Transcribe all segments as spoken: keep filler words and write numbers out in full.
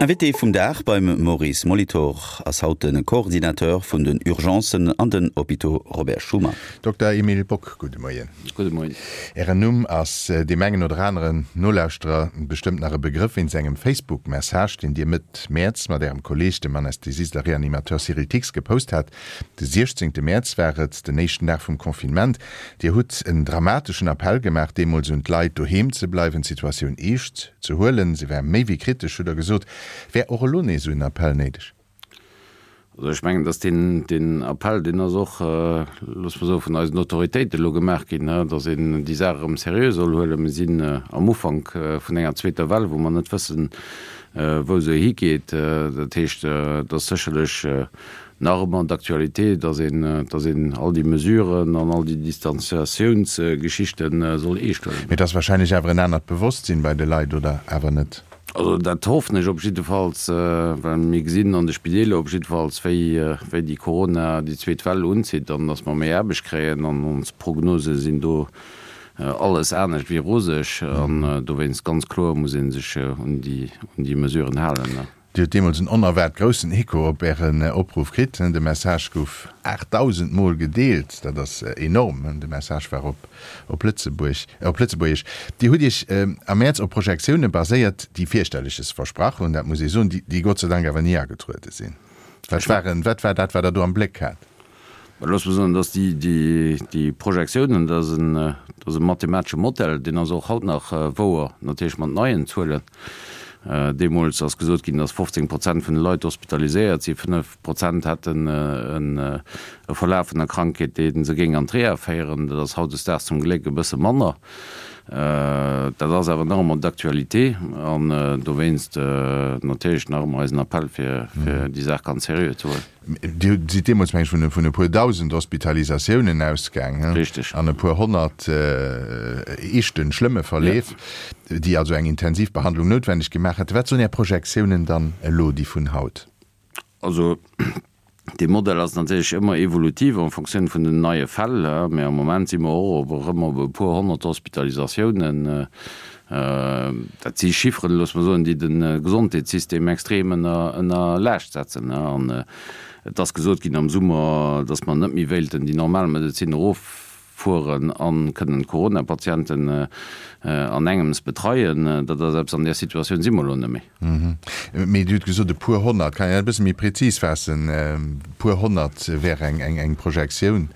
Invité vum Dag beim Maurice Molitor ass haut de Coordinateur vun den Urgencen an den Hôpitaux Robert Schuman. Dokter Emile Bock, gudde Moien. Gudde Moien. Ären Numm ass deem engen oder aneren Nolauschterer bestëmmt nach e Begrëff wéinst engem Facebook-Message, deen Dir Mëtt Mäerz mat Ärem Kolleeg, dem Anästhesist a Reanimateur Cyril Thix, gepost hat. De siechzéngte Mäerz war et, den éischten Dag vum Confinement. Dir hutt en dramateschen Appell gemaach deemools un d'Leit, doheem ze bleiwen, d'Situatioun eescht ze huelen. Se wär méi wéi kritesch, hutt Der gesot. Wär och elo nees esou en Appell néideg? Also ech mengen, dass deen, deen Appell, deen ass och, loosse mer soen, vun eisen Autoritéiten elo gemaach ginn, dass een déi Saach erëm seriö soll huelen. Mir sinn am Ufank vun enger zweeter Well, wou mer net wëssen, wou se higeet. Dat heescht, et ass sécherlech nach ëmmer d'actualité, dass een, dass een all déi Mesuren an all déi Distanziatiounsgeschichte soll eescht huelen. Mee et ass wahrscheinlech awer en anert Bewosstsinn bei de Leit, oder awer net? Also dat hoffen ech op jiddefalls, well mir gesinn an de Spideeler op jiddefalls, wéi, wéi déi Corona, déi zweet Well unzitt an dass mer méi Aarbecht kréien an ons Prognose sinn do alles anescht wéi roseg an dowéinst ganz kloer muss ee sech un déi, un déi Mesuren halen. Dir hutt deemools en onerwaart groussen Echo op Ären Opruff kritt. De Message gouf aachtdausend Mol gedeelt. Dat ass enorm. De Message war op op Lëtzebuerg, op Lëtzebuergesch. Dir hutt Iech am Mäerz op Projektioune baséiert, déi Fierchterleches versprach hunn, dat muss ee soen, déi Gott sei Dank awer ni agetruede sinn. Wat waren, wat war dat, wat Der do am Bléck hat? Looss mer soen, dass déi, déi, déi Projektiounen, dat ass en, dat ass e mathematesche Modell, deen ass och haut nach wouer, natierlech mat neien Zuelen. Deemools ass gesot ginn, dass fofzéng Prozent vun de Leit hospitaliséiert sinn, fënnef Prozent hätten e Verlaf vun der Krankheet, dee se géing an d'Reha féieren. Dat ass hautdesdaags zum Gléck e bësse manner. Dat ass awer nach ëmmer d'actualité an dowéinst natierlech nach ëmmer eisen Appell, fir déi Saach ganz seriö ze huelen. Dir sidd deemools, meng ech, vun vun e puer Dausend Hospitalisatiounen ausgaang, he? Richtig. An e puer honnert eeschten, schlëmme Verleef, déi also eng Intensivbehandlung noutwenneg gemaach hätten. Wat soen Är Projektiounen dann elo, déi vun haut? Also, dee Modell ass natierlech ëmmer evolutiv en Fonctioun vun den neie Fäll, mä am Moment si mer och op erëm op e puer honnert Hospitalisatiounen. Dat si Chifferen, loosse mer soen, déi de Gesondheetssystem extrem ënner ënner Laascht setzen. An et ass gesot ginn am Summer, datt mer net méi wéilten déi normal Medezin eroffueren a kënnen d'Corona-Patienten an engems betreien. Dat ass eppes, an där Situatioun si mer elo net méi. Mee Dir hutt gesot e puer honnert. Kann een dat e bësse méi prezis faassen? E puer honnert wär eng eng Projektioun.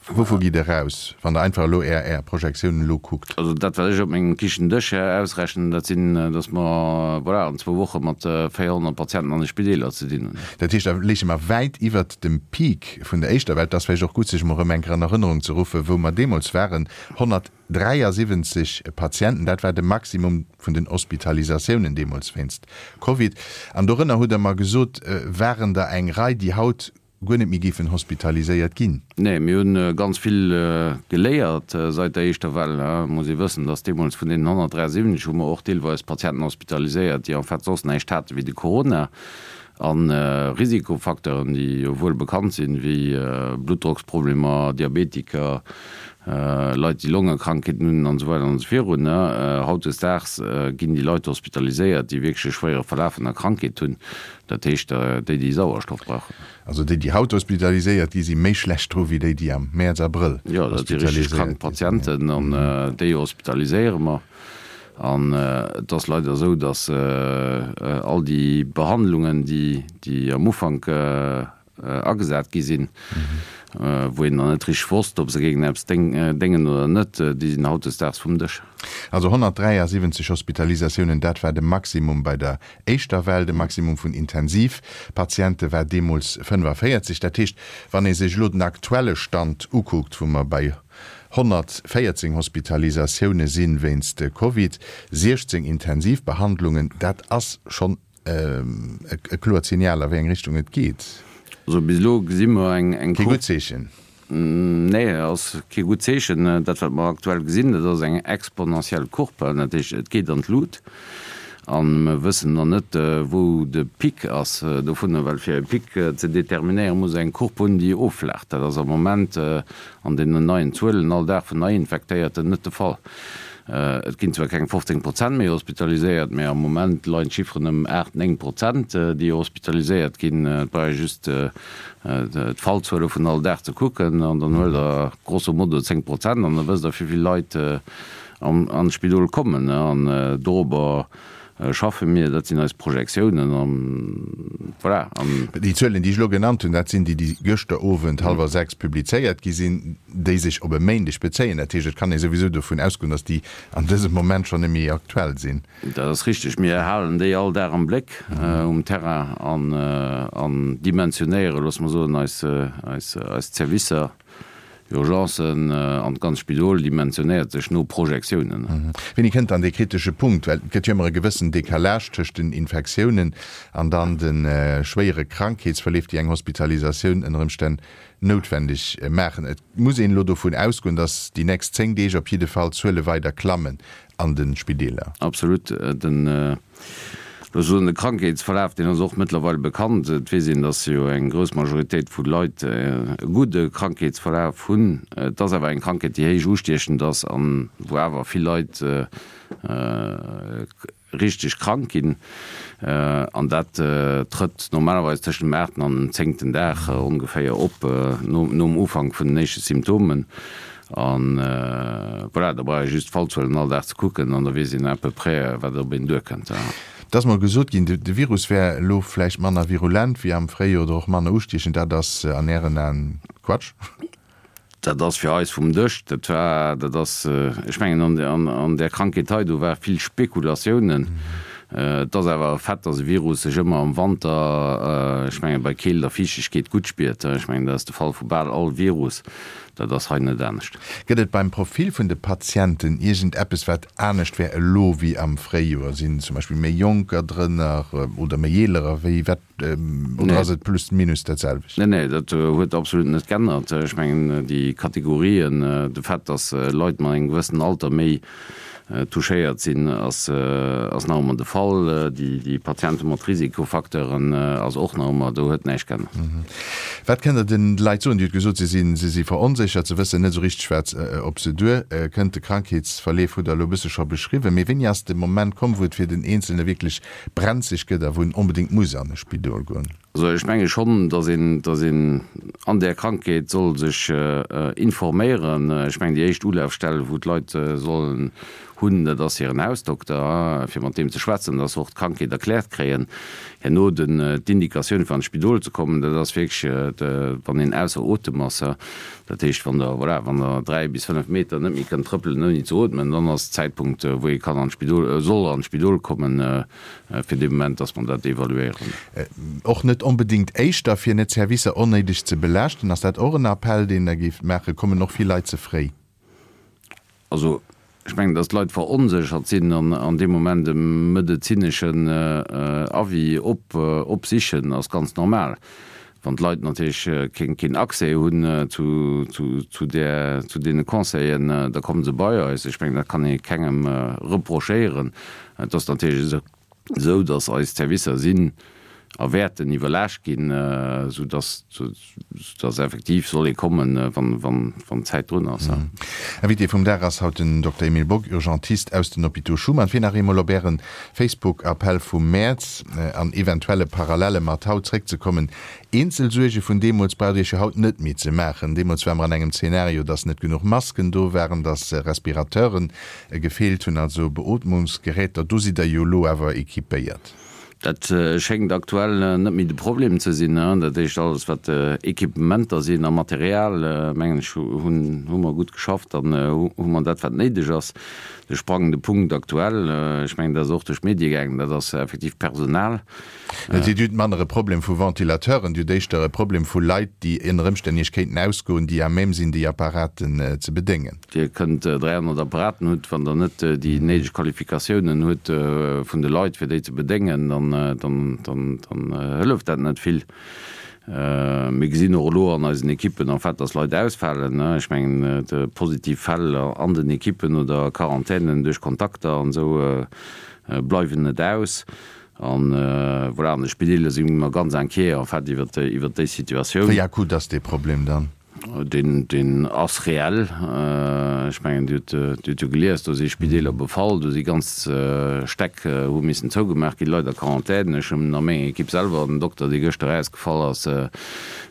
Wouvu gitt Der aus, wann Der einfach elo Är Är Projektiounen elo kuckt? Also dat, wat ech op mengem Kichendësch ausrechnen, dat sinn, datt mer, voilà, an zwou Woche mat véierhonnert Patienten an de Spideeler ze dinn hunn. Dat heescht, da léiche mer wäit iwwert dem Peak vun der éischter Well. Et ass vläicht och gutt, sech emol erëm eng Kéier an Erënnerung ze ruffen, wou mer deemools waren, honnertdräiasiwwenzeg Patienten, dat war de Maximum vun den Hospitalisatiounen deemools wéinst Covid. An dorënner, hutt Der mer gesot, waren der eng Rei, déi haut guer net méi géifen hospitaliséiert ginn. Nee, mir hu ganz vill geléiert seit der éischter Well. Et muss ee wëssen, dass deemools vun deenen honnertdräiasiwwenzeg hu mer och deelweis Patienten hospitaliséiert, déi en fait soss näischt hate wéi de Corona a Risikofacteuren, déi jo wuel bekannt sinn, wéi Bluttdrocksproblemer, Diabetiker, Leit, déi Longekrankheeten hunn an esou weider an esou virun. Hautdesdaags ginn déi Leit hospitaliséiert, déi wierklech e schwéiere Verlaf vun der Krankheet hunn, dat heescht déi, déi Sauerstoff brauchen. Also déi, déi haut hospitaliséiert gi si méi schlecht dru wéi déi, déi am Mäerz, Abrëll hospitaliséiert gi sinn. Jo, dat si richteg krank Patienten an déi hospitaliséiere mer. An et ass leider esou, datt all déi Behandlungen, déi am Ufank agesat gi sinn, wou een nach net richteg wosst, ob se géingen eppes déngen oder net, déi sinn hautdesdaags vum Dësch. Also honnertdräiasiwwenzeg Hospitalisatiounen, dat war de Maximum bei der éischter Well. De Maximum vun Intensivpatiente war deemools fënnefavéierzeg. Dat heescht, wann ee sech elo den aktuelle Stand ukuckt, wou mer bei honnertvéierzéng Hospitalisatioune si wéinst Covid, siechzéng Intensivbehandlungen, dat ass schonn e kloert Signal, a wéi eng Richtung et geet. Also bis elo gesi mer eng. Kee gutt Zeechen. Nee, ass kee gutt Zeechen. Dat, wat mer aktuell gesinn, dat ass eng exponentiell Courbe. Dat heescht, et geet an d'Lut. A mer wëssen nach net, wou de Pic ass dovunner, well fir e Pic ze determinéieren, muss eng Courbe hunn, déi offlaacht. Dat ass am Moment an deenen neien Zuelen all Dag vun Neiinfektéierten net de Fall. Et ginn zwar keng fofzéng Prozent méi hospitaliséiert, mä am Moment leien d'Chifferen ëm aacht, néng Prozent, déi hospitaliséiert ginn. Et brauch ee just d'Fallzuele vun all Dag ze kucken an dann huelt Der grosso modo zéng Prozent an da wësst Der, wéi vill Leit an d'Spidol kommen. An dorobber schaffe mir, dat sinn eis Projektiounen an voilà. An. Déi Zuelen, déi ech elo genannt hunn, dat sinn déi, déi gëschter Owend hallwer sechs publizéiert gi sinn, déi sech op e Méindeg bezéien. Dat heescht, et kann ee souwisou dovun ausgoen, datt déi an dësem Moment schonn net méi aktuell sinn. Dat ass richteg. Mir halen déi all Dag am Bléck um Terrain an an dimensionéiere, loosse mer soen, eis eis eis Zerwisser. Urgencen an d'ganz Spidol dimensionéiert sech no Projektiounen. Wéini kënnt dann dee kritesche Punkt? Well et gëtt jo ëmmer e gewëssen Decalage tëscht den Infektiounen an dann de schwéiere Krankheetsverleef, déi eng Hospitalisatioun ënner Ëmstänn noutwendeg maachen. Et muss een elo dovun ausgoen, datt déi nächst zéng Deeg op jidde Fall d'Zuele weider klammen an de Spideeler. Absolut. Den Ech soen, de Krankheetsverlaf, deen ass och mëttlerweil bekannt. Et weess een, dass jo eng grouss Majoritéit vu Leit e gudde Krankheetsverlaf hunn. Et ass awer eng Krankheet, déi héich ustiechend ass an wou awer vill Leit richteg krank ginn. An dat trëtt normalerweis tëschent dem aachten an dem zéngten Dag ongeféier op, nom Ufank vun den éischte Symptomen. An voilà, da brauch ee just d'Fallzuelen all Dag ze kucken an da weess een à peu près, wat op een duerkënnt. Et ass mol gesot ginn, de Virus wär elo vläicht manner virulent wéi am Fréijoer oder och manner ustiechend. Dat ass an Ären Aen Quatsch? Dat ass fir eis vum Dësch. Dat war, dat ass, ech mengen, an där Krankheet hei, do war vill Spekulatiounen. Et ass awer e Fait, dass e Virus sech ëmmer am Wanter, ech mengen, bei Keelt a Fiichtegkeet gutt spiert. Ech mengen, dat ass de Fall vu bal all Virus. Dat ass hei net anescht. Gëtt et beim Profil vun de Patienten iergend eppes, wat anescht wär elo wéi am Fréijoer? Sinn zum Beispill méi Jonker drënner oder méi Eelerer? Wéi, wat, oder ass et plus minus dat selwecht? Nee, nee, dat huet absolut net g'ännert. Ech mengen, déi Kategorien, de Fait, dass Leit mat engem gewëssenen Alter méi touchéiert sinn, ass nach ëmmer de Fall. Déi Patiente mat Risikofacteuren ass och nach ëmmer, do huet näischt geännert. Wat kënnt Der den Leit soen? Dir hutt gesot, si sinn, si si veronséchert, se wëssen net esou richteg, wat op se duer kënnt. De Krankheetsverleef hutt Der elo e bësse scho beschriwwen. Mee wéini ass de Moment komm, wou et fir den Eenzelne wierklech brenzeg gëtt a wou en onbedéngt muss an e Spidol goen? Also ech menge schonn, datt een, datt een an där Krankheet soll sech informéieren. Ech mengen, déi éischt Ulafstell, wou d'Leit sollen hunn, dat ass hiren Hausdokter, fir mat deem ze schwätzen, datt se och d'Krankheet erkläert kréien. Herno den, d'Indikatioun fir an d'Spidol ze kommen, dat ass wierklech, wann een ausser Otem ass. Dat heescht, wann Der, voilà, wann Der dräi bis fënnef Meter net méi kënnt trëppelen ouni ze ootmen, dann ass Zäitpunkt, wou ee kann an d'Spidol, soll an d'Spidol kommen. Fir de Moment, dass mer dat evaluéieren. Och net onbedéngt éischter, fir net d'Servicer onnéideg ze belaaschten. Ass dat och en Appell, deen Der géift maachen? Kommen och vill Leit ze fréi? Also, ech mengen, dass d'Leit veronséchert sinn an an deem Moment e medezineschen Avis opsichen, ass ganz normal. Wann d'Leit natierlech keen Accès hunn zu deene Conseillen, da komme se bei eis. Ech mengen, dat kann ee kengem reprochéieren. Et ass natierlech esou, datt eis Servicer sinn a wäerten iwwerlaascht ginn, soudatt soudatt effektiv soll ee kommen, wann d'Zäit drun ass. Invité vum Dag ass haut den Dokter Emile Bock, Urgentist aus den Hôpitaux Schuman. Fir nach eemol op Äre Facebook-Appell vum Mäerz an eventuelle Parallelle mat haut zréckzekommen, Eenzel Suerge vun deemools braucht Iech jo haut net méi ze maachen. Deemools ware mer an engem Zeenario, dass net genuch Masken do waren, dass Respirateuren gefeelt hunn, also Beootmungsgeräter. Do sidd Der jo elo awer equipéiert. Dat schéngt aktuell net méi de Problem ze sinn. Dat heescht, alles wat Equipementer sinn a Material, mengen ech, hunn hu mer gutt geschafft an hu mer dat wat néideg ass. De sprangende Punkt aktuell, ech mengen dat ass och duerch d'Medie gaangen, dat ass effektiv d'Personal. Dir hutt manner e Problem vu Ventilateuren, Dir hutt éischter e Problem vu Leit, déi ënner Ëmstänn Iech kéinten ausgoen, déi à même sinn, déi Apparaten ze bedéngen. Dir kënnt dräihonnert Apparaten hutt, wann Der net déi néideg Qualifikatiounen hutt vun de Leit, fir déi ze bedéngen, dann hëlleft dat net vill. Mir gesinn och elo an eisen Ekippen en fait, dass Leit ausfalen. Ech mengen, positiv Fäll an den Ekippen oder Quarantänen duerch Kontakter an esou bleiwen net aus. An voilà, an de Spideeler si mer ganz inquiet en fait iwwert déi Situatioun. Wéi akut ass dee Problem dann? Deen, deen ass reell. Ech mengen, Dir hutt, Dir hutt jo gelies, do si Spideeler befall, do si ganz Stäck hu missen zougemaach ginn, Leit a Quarantän. Ech hunn a menger Ekipp selwer en Dokter, dee gëschter erausgefall ass,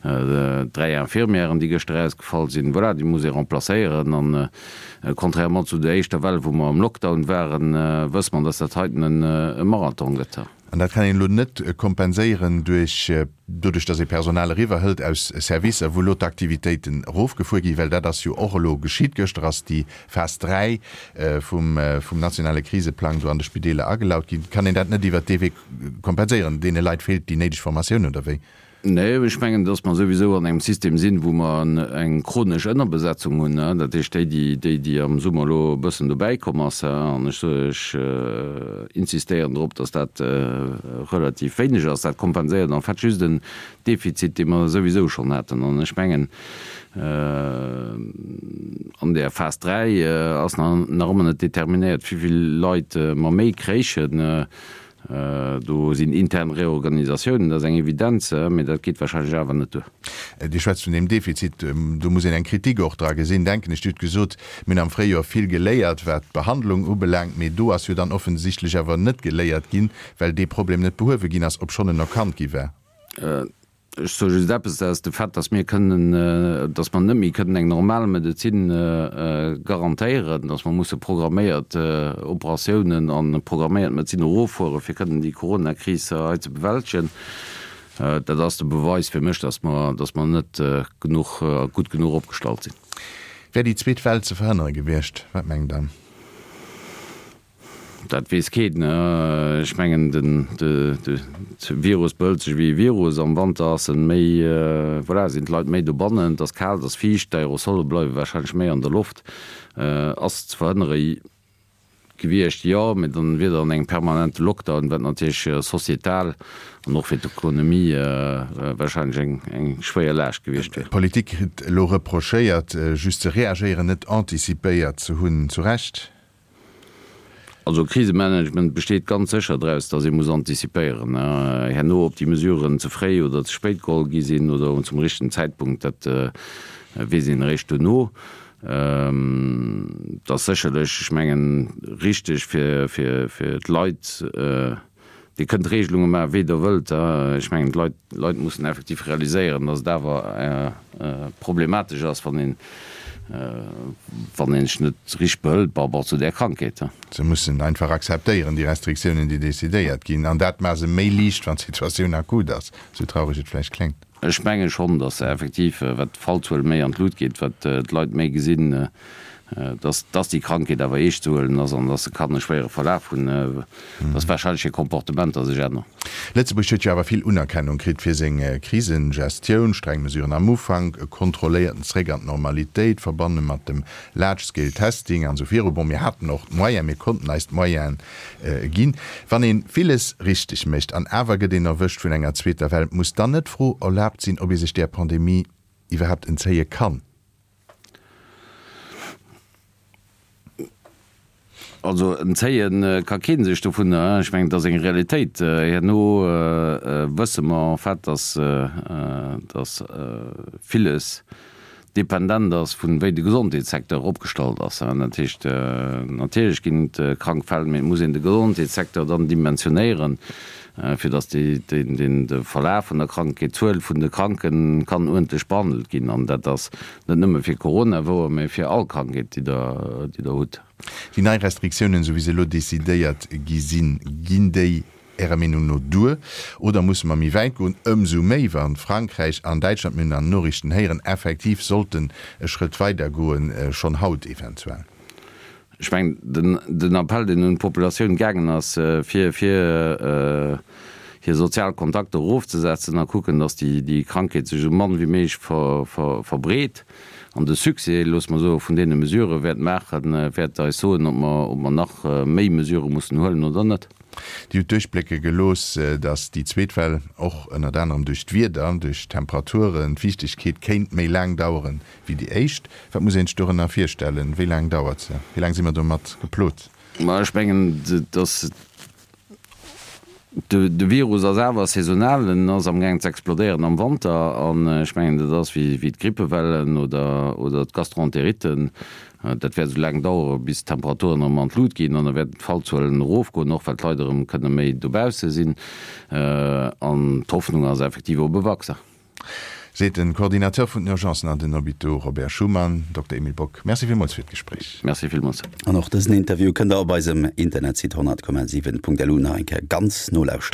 dräi Infirmièren, déi gëschter erausgefall sinn. Voilà, déi muss ee remplacéieren. An contrairement zu der éischter Well, wou mer am Lockdown waren, wësse mer, dass dat heiten e Marathon gëtt. An dat kann een elo net kompenséieren duerch, doduerch datt ee Personal eriwwerhëlt aus Servicer, wou elo d'Aktivitéiten erofgefuer ginn, well dat ass jo och elo geschitt. Gëschter ass déi Phas dräi vum, vum nationale Kriseplang do an de Spideeler agelaut ginn. Kann een dat net iwwert dee Wee kompenséieren? Deene Leit feelt déi néideg Formatioun, oder wéi? Nee, ech mengen, dass mer souwisou an engem System sinn, wou mer eng chronesch Ënnerbesetzung hunn. Dat heescht, déi, déi, déi am Summer elo e bëssen dobäikomm ass, an ech soe, ech insistéieren drop, dass dat relativ wéineg ass, dat kompenséiert en fait just en Defizit, dee mer souwisou schonn haten. An ech mengen, an där Phas dräi ass nach ëmmer net determinéiert, wéi vill Leit mer méi kréichen. Do sinn intern Reorganisatiounen, dat ass eng Evidenz, mee dat geet wahrscheinlech awer net duer. Dir schwätzt vun deem Defizit. Do muss een eng Kritik och dra gesinn, denken ech. Dir hutt gesot, mir hunn am Fréijoer vill geléiert, wat d'Behandlung ubelaangt, mee do ass jo dann offensichtlech awer net geléiert ginn, well dee Problem net behuewe ginn ass, obschonn en erkannt gi war. Ech soe just eppes, dat ass de Fait, dass mir kënnen, dass mer net méi kënnen eng normal Medezin garantéieren, dass mer musse programméiert Operatiounen a programméiert Medezin eroffuere fir kënnen déi Coronakris hei ze bewältegen. Dat ass de Beweis fir mech, dass mer, dass mer net genuch, gutt genuch opgestallt sinn. Wär déi zweet Well ze verhënnere gewiescht? Wat mengt Der? Dat weess keen. Ech mengen, de Virus behëlt sech wéi e Virus. Am Wanter ass en méi, voilà, sinn d'Leit méi dobannen, et ass kal, et ass fiicht, d'Aerosole bleiwe warscheinlech méi an der Loft. Ass ze verhënnere gewiescht, jo, mee dann wier der an engem permanente Lockdown, wat natierlech societal an och fir d'Ekonomie warscheinlech eng schwéier Laascht gewiescht wier. D'Politik kritt elo reprochéiert, just ze reagéieren, net anticipéiert ze hunn. Zu Recht? Also Krisemanagement besteet ganz sécher draus, datt ee muss antizipéieren. Herno, ob déi Mesuren ze fréi oder ze spéit geholl gi sinn oder zum richtegen Zäitpunkt, dat weess een eréischt duerno. Et ass sécherlech, ech mengen, richteg fir d'Leit, Dir kënnt Regelunge maachen, wéi Der wëllt. Ech mengen, d'Leit, d'Leit mussen effektiv realiséieren, datt et awer problematesch ass, wann een, wann een sech net richteg behëlt par rapport zu där Krankheet. Se mussen einfach akzeptéieren, déi Restriktiounen, déi decidéiert ginn. An dat maache se méi liicht, wann d'Situatioun akut ass, esou traureg et vläicht kléngt. Ech menge schonn, datt effektiv, wat d'Fallzuel méi an d'Lut geet, wat d'Leit méi gesinn, dass, dass déi Krankheet awer eescht ze huelen ass an dass se kann e schwéiere Verlaf hunn, dass wahrscheinlech hir Komportementer sech änneren. Lëtzebuerg huet jo awer vill Unerkennung kritt fir seng Krisengestioun, streng Mesuren am Ufank, e kontrolléierten Zréck an d'Normalitéit, verbanne mat dem Large Scale Testing an esou viru. Bon, mir haten och d'Moyens, mir konnten eis d'Moyene ginn. Wann ee villes richteg mécht an awer gëtt een erwëscht vun enger zweeter Well, muss dann net d'Fro erlaabt sinn, ob ee sech där Pandemie iwwerhaapt entzéie kann? Also entzéie ka kee sech dovunner. Ech mengen, et ass eng Realitéit. Herno wësse mer en fait, dass, dass villes dependent ass vun wéi de Gesondheetssecteur opgestallt ass. Dat heescht, natierlech ginn et krank Fäll, mee et muss een de Gesondheetssecteur dann dimensionéieren, fir dass déi, deen, de Verlaf vun der Krankheet, d'Zuel vun de Kranken kann uerdentlech behandelt ginn. An dat ass net nëmme fir Corona wouer, mee fir all Krankheet, déi Der, déi Der hutt. Déi nei Restriktiounen, esou wéi se elo decidéiert gi sinn, ginn déi Ärer Meenung no duer oder musse mer méi wäit goen? Ëmsou méi, wa Frankräich an Däitschland, mir hunn an den Noriichten héieren, effektiv sollten e Schrëtt weider goen, schonn haut eventuell. Ech mengen, den Appell, deen un d'Populatioun gaangen ass, fir fir hir sozial Kontakter erofzesetzen a kucken, datt déi Krankheet sech esou mann wéi méiglech verbreet, an de Succès, loosse mer soen, vun deene Mesurë wäert maachen, wäert eis soen, ob mer ob mer nach méi Mesurë mussen huelen oder net. Dir hutt duerchblécke gelooss, datt déi zweet Well och ënnert anerem duerch d'Wieder, duerch d'Temperaturen, d'Fiichtegkeet kéint méi laang daueren wéi déi éischt. Wat muss een sech dorënner virstellen? Wéi laang dauert se? Wéi laang si mer domat geplot? Ma ech mengen, et ass De Virus ass awer saisonal, en ass amgaang ze explodéieren am Wanter an ech mengen, dat ass wéi d'Grippewellen oder oder d'Gastroenteritten. Dat wäert esou laang dauere bis d'Temperaturen erëm an d'Lut ginn an da wäerten d'Fallzuelen erofgoen, och well d'Leit erëm kënne méi dobausse sinn. An d'Hoffnung ass effektiv op e Vaccin. Seet den Coordinateur vun den Urgencen an den Hôpitaux Robert Schuman, Dokter Emile Bock. Merci villmools fir d'Gespréich. Merci villmools. An och dësen Interview kënnt der op eisem Internetsite honnert Komma siwen Punkt lu nach eng Kéier ganz nolauschteren.